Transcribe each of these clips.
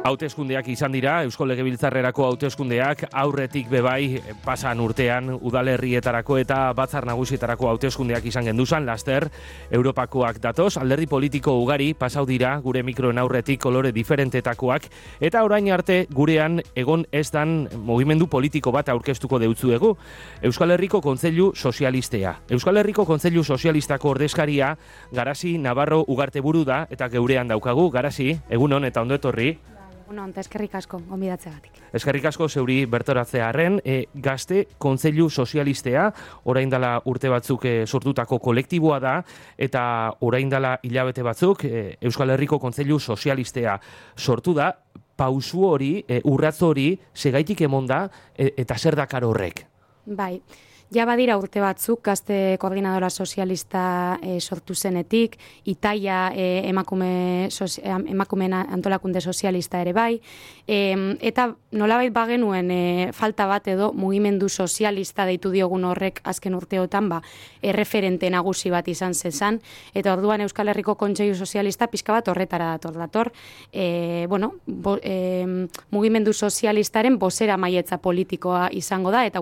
Hauteskundeak izan dira, Eusko Legebiltzarrerako hauteskundeak aurretik bebai pasan urtean udalerrietarako eta batzar nagusietarako hauteskundeak izan genduzan, laster Europakoak datoz, alderdi politiko ugari pasau dira gure mikroen aurretik kolore diferentetakoak eta orain arte gurean egon ez dan mugimendu politiko bat aurkeztuko deutzuegu. Euskal Herriko Kontseilu Sozialistea. Euskal Herriko Kontseilu Sozialistako ordezkaria Garasi Navarro Ugarteburu da eta geurean daukagu. Garasi, egunon eta ondo etorri. Eskerrik asko, gonbidatzeagatik. Eskerrik asko zeuri bertoratzearren, Gazte Kontseilu Sozialistea, orain dela urte batzuk sortutako kolektiboa da, eta orain dela hilabete batzuk Euskal Herriko Kontseilu Sozialistea sortu da, pausu hori, urratz hori, segaitik emon da, eta zer dakar horrek? Bai. Ja badira urte batzuk, Gazte Koordinadora Sozialista sortu zenetik, Itaia emakumeen antolakunde sozialista ere bai, eta nolabait bagenuen falta bat edo mugimendu sozialista deitu diogun horrek azken urteotan erreferente nagusi bat izan zezan, eta orduan Euskal Herriko Kontseilu Sozialista pixka bat horretara dator. Mugimendu sozialistaren bozera maietza politikoa izango da, eta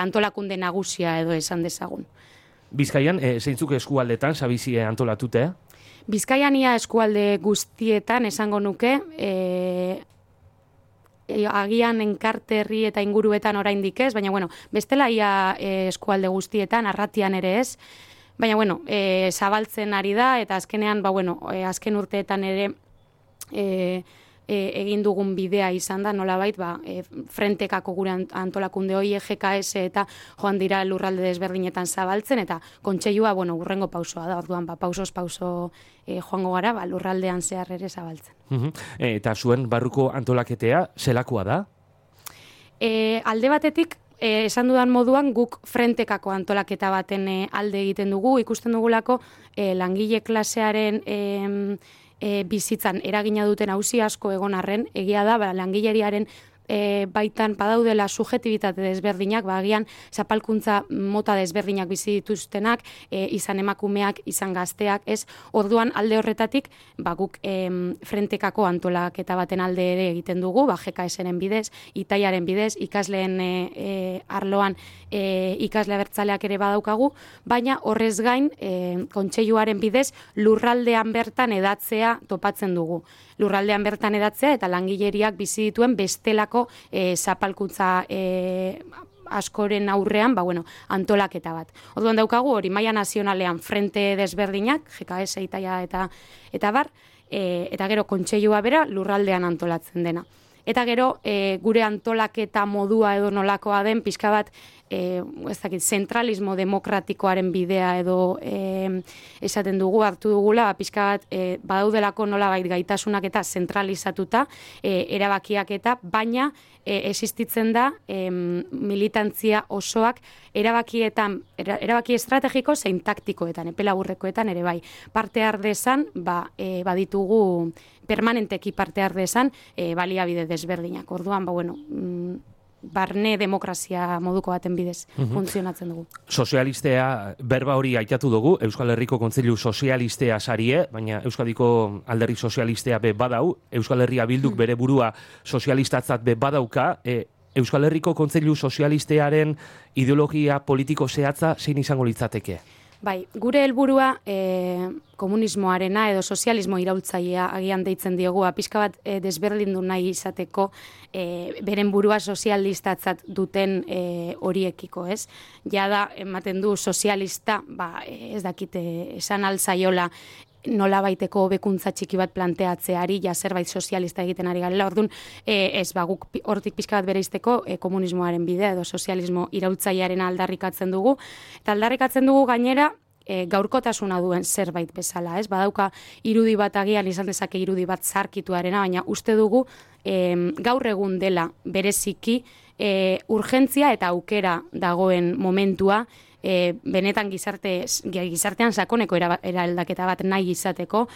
antolakunde nagusia edo esan dezagun. Bizkaian, zeintzuk eskualdetan, sabizi antolatute? Bizkaian ia eskualde guztietan esango nuke, agian Enkarterri eta inguruetan oraindik ez, baina bestela ia eskualde guztietan, Arratian ere ez, baina zabaltzen ari da, eta azkenean, azken urteetan ere egin dugun bidea izan da, nolabait, frentekako gure antolakunde hori GKS eta joan dira lurralde desberdinetan zabaltzen, eta kontseilua, urrengo pausoa da, orduan, pausos pauso joango gara, lurraldean zehar ere zabaltzen. Eta zuen barruko antolaketea, zelakoa da? Alde batetik, esan dudan moduan, guk frentekako antolaketa baten alde egiten dugu, ikusten dugulako langile klasearen bizitzan eragina duten auzi asko egon arren, egia da, langileriaren baitan badaudela subjektibitate desberdinak, agian zapalkuntza mota desberdinak bizi dituztenak, izan emakumeak, izan gazteak, ez? Orduan alde horretatik, guk frentekako antolaketa baten alde ere egiten dugu, GKS-ren bidez, Itaiaren bidez, ikasleen arloan ikasle abertzaleak ere badaukagu, baina horrez gain, kontseiluaren bidez, lurraldean bertan edatzea topatzen dugu. Lurraldean bertan edatzea eta langileriak bizi dituen bestelako zapalkuntza askoren aurrean, antolaketa bat. Orduan daukagu hori maila nazionalean frente desberdinak, GKS, Itaia eta bar, eta gero kontseilua bera lurraldean antolatzen dena. Eta gero, gure antolaketa modua edo nolakoa den, pixka bat, zentralismo demokratikoaren bidea edo esaten dugu, hartu dugula, pixka bat, badaudelako nolabait gaitasunak eta zentralizatuta, erabakiak eta, baina existitzen da militantzia osoak erabaki estrategiko zein taktikoetan, epelaburrekoetan ere bai. Parte ardezan, baditugu permanenteki parte ardezan baliabide desberdinak. Orduan, barne demokrazia moduko baten bidez funtzionatzen dugu. Sozialistea berba hori aitatu dugu, Euskal Herriko Kontseilu Sozialistea sarie, baina Euskadiko alderdi sozialistea badau, Euskal Herria Bilduk bere burua sozialistatzat badauka, Euskal Herriko Kontseilu Sozialistearen ideologia politiko zehatza zein izango litzateke? Bai, gure helburua komunismoarena edo sozialismo iraultzailea agian deitzen diogu, pixka bat desberdindu nahi izateko beren burua sozialistatzat duten horiekiko, ez? Jada ematen du sozialista, ez dakite esan alzaiola nolabaiteko hobekuntza txiki bat planteatzeari, zerbait sozialista egiten ari garela, orduan guk hortik pixka bat bereizteko komunismoaren bidea edo sozialismo iraultzailearen aldarrikatzen dugu, eta aldarrikatzen dugu gainera gaurkotasuna duen zerbait bezala, ez? Badauka irudi bat agian izan dezake irudi bat zarkituarena, baina uste dugu gaur egun dela bereziki urgentzia eta aukera dagoen momentua benetan gizartean sakoneko eraldaketa bat nahi izateko,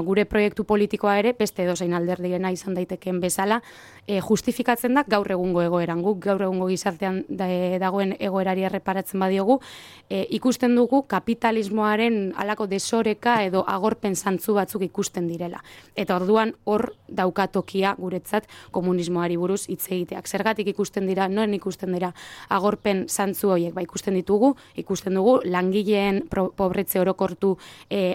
gure proiektu politikoa ere, beste edozein alderdiena izan daitekeen bezala, justifikatzen da gaur egungo egoeran. Guk gaur egungo gizartean dagoen egoerari erreparatzen badiogu, ikusten dugu kapitalismoaren halako desoreka edo agorpen zantzu batzuk ikusten direla. Eta orduan hor daukatokia guretzat komunismoari buruz hitz egiteak. Zergatik ikusten dira, noren ikusten dira agorpen zantzu horiek, ikusten dugu langileen pobretze orokortu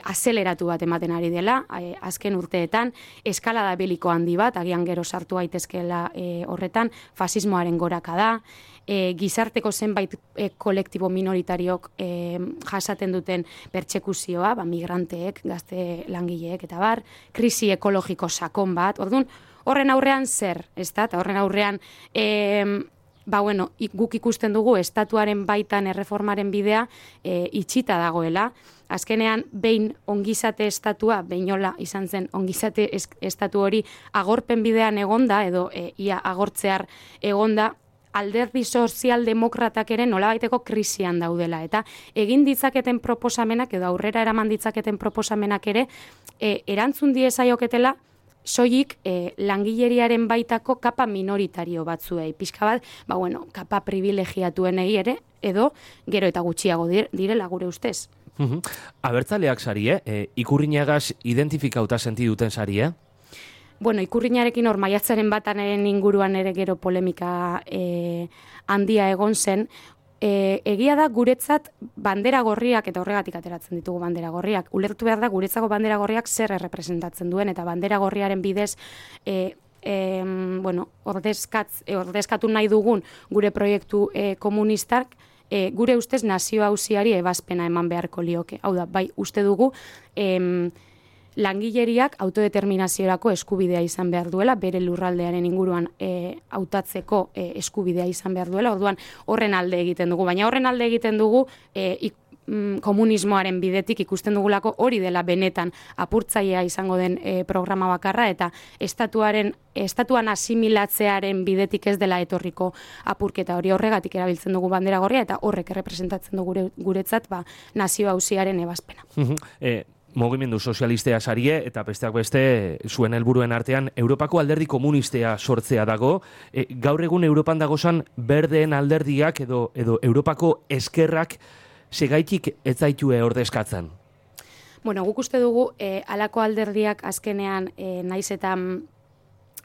azeleratu bat ematen ari dela, azken urteetan, eskalada beliko handi bat, agian gero sartu gaitezkeela horretan, fasismoaren goraka da, gizarteko zenbait kolektibo minoritariok jasaten duten pertsekuzioa, migranteek, gazte langileek eta bar, krisi ekologiko sakon bat, orduan, horren aurrean zer, ez da? Eta horren aurrean, guk ikusten dugu estatuaren baitan erreformaren bidea itxita dagoela. Azkenean, behin ongizate estatua, behinola izan zen ongizate estatu hori agorpen bidean egonda, edo ia agortzear egonda, alderdi sozialdemokratak ere nolabaiteko krisian daudela. Eta egin ditzaketen proposamenak, edo aurrera eraman ditzaketen proposamenak ere, erantzun diezaioketela, soilik langileriaren baitako kapa minoritario batzuei. Pixka bat, kapa privilegiatuenei ere, edo gero eta gutxiago direla gure ustez. Abertzaleak sari, ikurrinagaz identifikauta senti duten sari, Ikurrinarekin hor maiatzaren bataren inguruan ere gero polemika handia egon zen. Egia da guretzat bandera gorriak, eta horregatik ateratzen ditugu bandera gorriak, ulertu behar da guretzako bandera gorriak zer errepresentatzen duen, eta bandera gorriaren bidez ordezkatu nahi dugun gure proiektu komunistak, gure ustez nazio auziari ebazpena eman beharko lioke. Hau da, bai uste dugu langileriak autodeterminaziorako eskubidea izan behar duela, bere lurraldearen inguruan hautatzeko eskubidea izan behar duela, orduan horren alde egiten dugu. Baina horren alde egiten dugu komunismoaren bidetik ikusten dugulako hori dela benetan apurtzailea izango den programa bakarra, eta estatuan asimilatzearen bidetik ez dela etorriko apurketa hori, horregatik erabiltzen dugu bandera gorria, eta horrek errepresentatzen dugu guretzat nazio auziaren ebazpena. Mugimendu sozialistea sarie, eta besteak beste zuen helburuen artean Europako alderdi komunistea sortzea dago. Gaur egun Europan dagozan berdeen alderdiak edo Europako eskerrak segaitik ez zaitue ordezkatzen? Guk uste dugu halako alderdiak azkenean naiz eta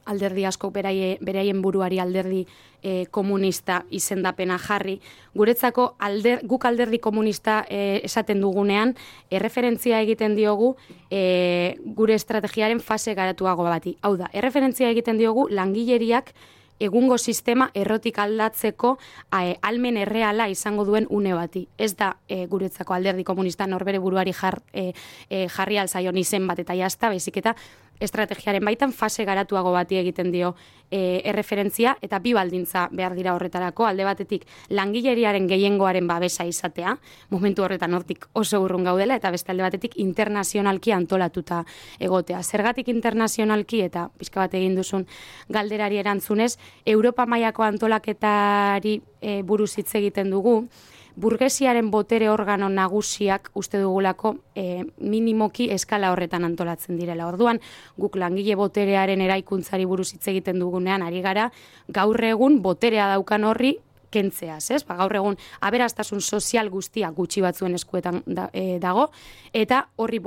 alderdi asko beraien buruari alderdi komunista izendapena jarri. Guretzako guk alderdi komunista esaten dugunean, erreferentzia egiten diogu gure estrategiaren fase garatuago bati. Hau da, erreferentzia egiten diogu langileriak egungo sistema errotik aldatzeko almen erreala izango duen une bati. Ez da guretzako alderdi komunista norbere buruari jarri alzaion izen bat eta jazta, baizik eta estrategiaren baitan fase garatuago bati egiten dio erreferentzia, eta bi baldintza behar dira horretarako, alde batetik langileriaren gehiengoaren babesa izatea, momentu horretan hortik oso urrun gaudela, eta beste alde batetik internazionalki antolatuta egotea. Zergatik internazionalki, eta pixka bat egin duzun galderari erantzunez, Europa mailako antolaketari buruz hitz egiten dugu, burgesiaren botere organo nagusiak uste dugulako minimoki eskala horretan antolatzen direla. Orduan, guk langile boterearen eraikuntzari buruz hitz egiten dugunean ari gara, gaur egun boterea daukan horri kentzeaz, ez? Gaur egun aberastasun sozial guztia gutxi batzuen eskuetan dago, eta horri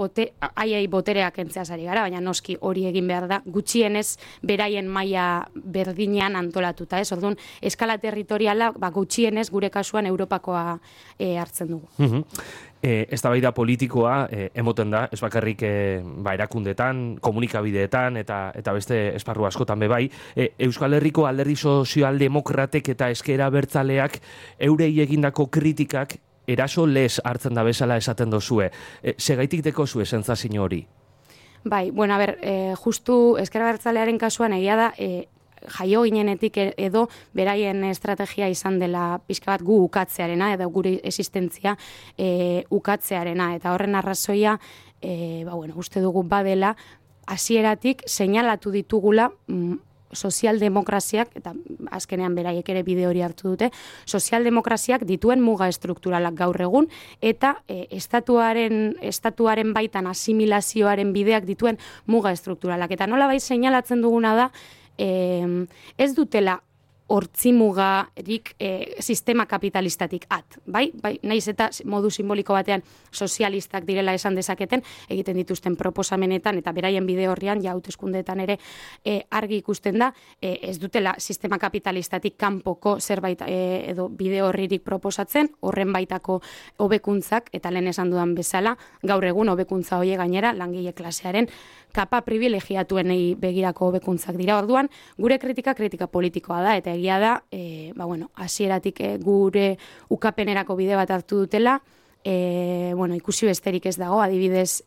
haiei boterea kentzeaz ari gara, baina noski hori egin behar da, gutxienez beraien maila berdinean antolatuta, ez? Orduan, eskala territoriala gutxienez gure kasuan Europakoa hartzen dugu. Eztabaida politikoa emoten da, ez bakarrik erakundetan, komunikabideetan eta beste esparru askotan be bai. Euskal Herriko alderdi sozialdemokratek eta ezker abertzaleak eurei egindako kritikak eraso lez hartzen da bezala esaten dozue. Segaitik deko zue sentsazio hori? Bai, justu ezker abertzalearen kasuan egia da, jaio ginenetik edo beraien estrategia izan dela pixka bat gu ukatzearena, edo gure existentzia ukatzearena, eta horren arrazoia, uste dugu badela, hasieratik seinalatu ditugula sozialdemokraziak, eta azkenean beraiek ere bide hori hartu dute, sozialdemokraziak dituen muga estrukturalak gaur egun, eta estatuaren baitan asimilazioaren bideak dituen muga estrukturalak. Eta nola bai seinalatzen duguna da, ez dutela hortzimugarik sistema kapitalistatik bai, naiz eta modu simboliko batean sozialistak direla esan dezaketen, egiten dituzten proposamenetan eta beraien bide horrian, ja hauteskundeetan ere argi ikusten da, ez dutela sistema kapitalistatik kanpoko zerbait edo bide horririk proposatzen, horren baitako hobekuntzak, eta lehen esan dudan bezala, gaur egun hobekuntza hoie gainera langile klasearen kapa privilegiatuenei begirako hobekuntzak dira. Orduan, gure kritika politikoa da, eta egia da, hasieratik gure ukapenerako bide bat hartu dutela, ikusi besterik ez dago, adibidez,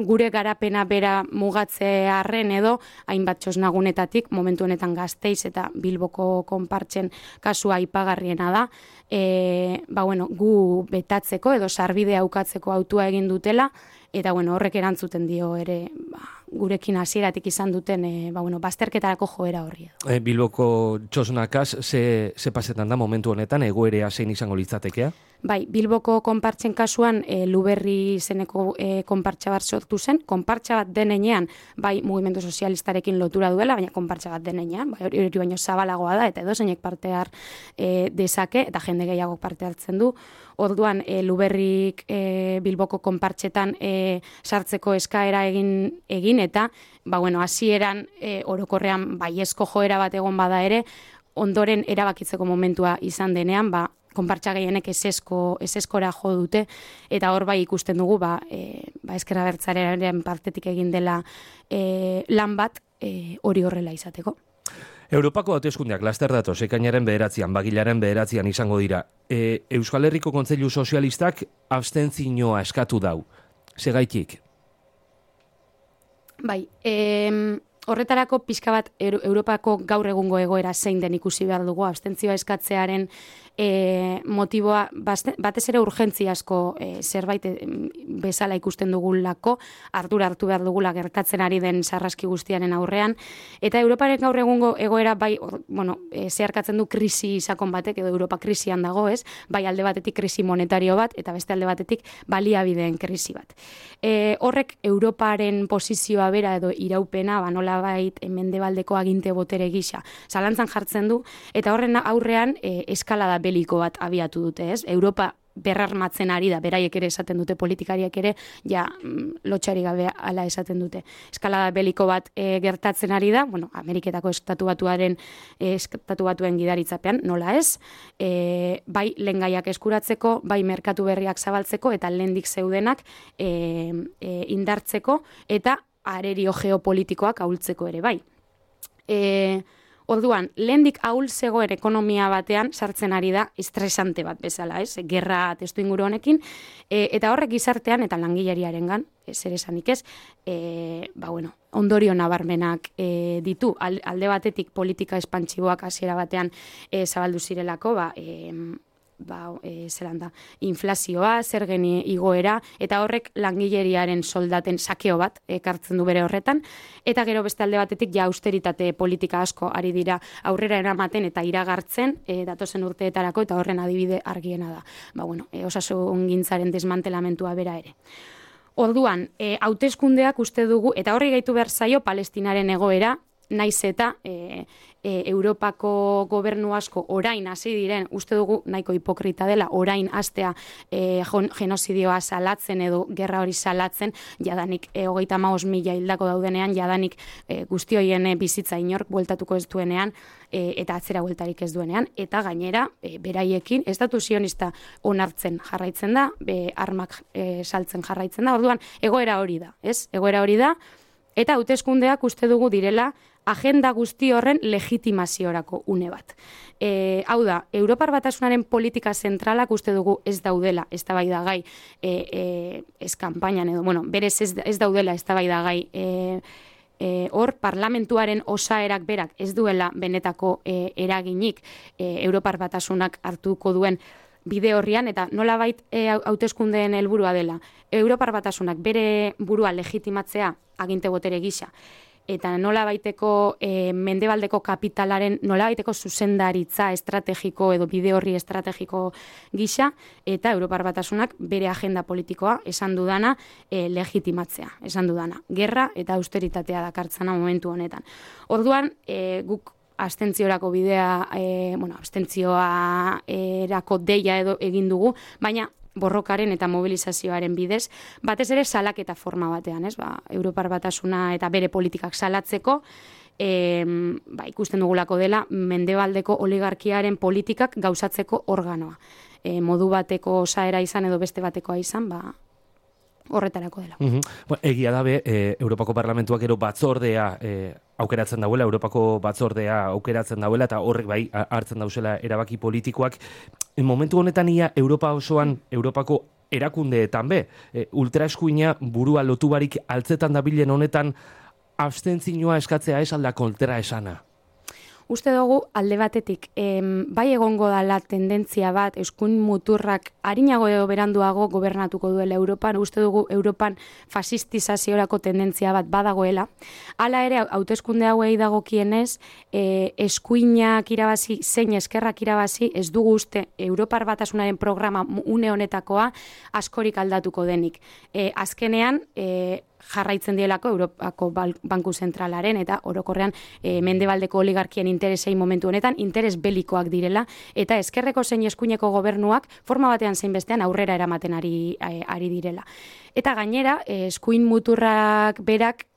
gure garapena bera mugatzearren edo, hainbat txosnagunetatik, momentu honetan Gasteiz eta Bilboko konpartzen kasua aipagarriena da, gu betatzeko edo sarbidea ukatzeko autua egin dutela, eta horrek erantzuten dio ere gurekin hasieratik izan duten bazterketarako joera horri. Bilboko txosnakaz, ze pasetan da momentu honetan, egoerea zein izango litzatekea? Bai, Bilboko konpartzen kasuan Luberri izeneko konpartsa bat sortu zen, konpartsa bat denean, bai mugimendu sozialistarekin lotura duela, baina konpartsa bat denean, bai hori baino zabalagoa da, eta edozeinek parte har dezake, eta jende gehiago parte hartzen du. Orduan, Luberrik Bilboko konpartsetan sartzeko eskaera egin eta, hasieran orokorrean baiezko joera bat egon bada ere, ondoren erabakitzeko momentua izan denean, konpartsa gehienek ezeskora jo dute, eta hor bai ikusten dugu, Ezker Abertzalearen partetik egin dela lan bat hori horrela izateko. Europako hauteskundeak laster datoz, ekainaren 9, bagilaren 9 izango dira. Euskal Herriko Kontseilu Sozialistak abstentzioa eskatu dau. Segaitik? Bai, horretarako pixka bat Europako gaur egungo egoera zein den ikusi behar dugu, abstentzioa eskatzearen motiboa batez ere urgentziazko zerbait bezala ikusten dugulako, ardura hartu behar dugula gertatzen ari den sarraski guztiaren aurrean, eta Europaren gaur egungo egoera bai, zeharkatzen du krisi sakon batek, edo Europa krisian dago, ez? Bai alde batetik krisi monetario bat, eta beste alde batetik baliabideen krisi bat. Horrek Europaren posizioa bera edo iraupena, nolabait mendebaldeko aginte botere gisa, zalantzan jartzen du, eta horren aurrean eskalada beliko bat abiatu dute, ez? Europa berrarmatzen ari da, beraiek ere esaten dute, politikariak ere, lotxari gabe ala esaten dute. Eskalada beliko bat gertatzen ari da, Ameriketako estatu batuen gidaritzapean, nola ez, bai lehengaiak eskuratzeko, bai merkatu berriak zabaltzeko, eta lehendik zeudenak indartzeko, eta arerio geopolitikoak ahultzeko ere, bai. Orduan, lehendik ahul zegoen ekonomia batean sartzen ari da estresante bat bezala, ez? Gerra testu inguru honekin, eta horrek gizartean eta langileriarengan, zer esanik ez, ondorio nabarmenak ditu. Alde batetik politika espantsiboak hasiera batean zabaldu zirelako, inflazioa, zergen igoera, eta horrek langileriaren soldaten sakeo bat ekartzen du bere horretan, eta gero beste alde batetik austeritate politika asko ari dira aurrera eramaten eta iragartzen datozen urteetarako, eta horren adibide argiena da. Osasungintzaren desmantelamentua bera ere. Orduan, hauteskundeak uste dugu, eta horri gaitu behar zaio Palestinaren egoera, naiz eta Europako gobernu asko orain hasi diren, uste dugu nahiko hipokrita dela, orain hastea genozidioa salatzen edo gerra hori salatzen, jadanik 35.000 hildako daudenean, jadanik guzti horien bizitza inork bueltatuko ez duenean, eta atzera bueltarik ez duenean, eta gainera, beraiekin, estatu sionista onartzen jarraitzen da, armak saltzen jarraitzen da, orduan, egoera hori da, ez? Egoera hori da, eta hauteskundeak uste dugu direla agenda guzti horren legitimaziorako une bat. Hau da, Europar Batasunaren politika zentralak uste dugu ez daudela eztabaidagai ez kanpainan edo, berez ez daudela eztabaidagai hor parlamentuaren osaerak berak ez duela benetako eraginik Europar Batasunak hartuko duen bide horrian, eta nolabait hauteskundeen helburua dela. Europar Batasunak bere burua legitimatzea aginte botere gisa, eta nolabaiteko mendebaldeko kapitalaren nolabaiteko zuzendaritza estrategiko edo bide horri estrategiko gisa, eta Europar Batasunak bere agenda politikoa esan dudana legitimatzea, esan dudana. Gerra eta austeritatea dakartzana momentu honetan. Orduan, guk abstentziorako bidea, abstentzioa erako deia edo egin dugu, baina borrokaren eta mobilizazioaren bidez, batez ere salaketa forma batean, ez? Europar Batasuna eta bere politikak salatzeko, ikusten dugulako dela mendebaldeko oligarkiaren politikak gauzatzeko organoa. Modu bateko osaera izan edo beste batekoa izan, horretarako dela. Egia dabe, Europako Parlamentuak ero batzordea aukeratzen dauela, Europako batzordea aukeratzen dauela, eta horrek bai hartzen dauzela erabaki politikoak. Momentu honetan ia Europa osoan, Europako erakundeetan be, ultraeskuina burua lotu barik altzetan dabilen honetan abstentzioa eskatzea ez alda kontra esana. Uste dugu alde batetik, bai egongo dala tendentzia bat, eskuin muturrak harinago edo beranduago gobernatuko duela Europan, uste dugu Europan fasistizaziorako tendentzia bat badagoela. Hala ere, hauteskunde hauei dagokienez, eskuinak irabazi, zein eskerrak irabazi, ez dugu uste Europar Batasunaren programa une honetakoa askorik aldatuko denik. Azkenean, jarraitzen dielako Europako Banku Zentralaren eta orokorrean mendebaldeko oligarkien interesei momentu honetan interes belikoak direla, eta eskerreko zein eskuineko gobernuak forma batean zein bestean aurrera eramaten ari direla. Eta gainera, eskuin muturrak berak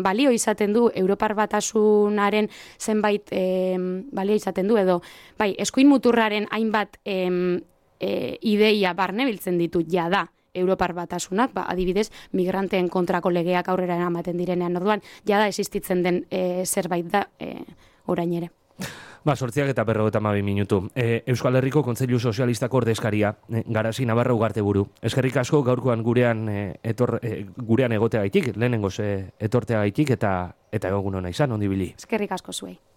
balio izaten du Europar Batasunaren zenbait balio izaten du, edo eskuin muturraren hainbat ideia barnebiltzen ditu jada Europar Batasunak, adibidez, migranteen kontrako legeak aurrera eramaten direnean, orduan, jada existitzen den zerbait da orain ere. 8:52 minutu. Euskal Herriko Kontseilu Sozialistako ordezkaria, Garasi Navarra Ugarteburu. Eskerrik asko gaurkoan gurean egoteagaitik, lehenengoz etorteagaitik eta egun ona izan, ondi bili. Eskerrik asko zuei.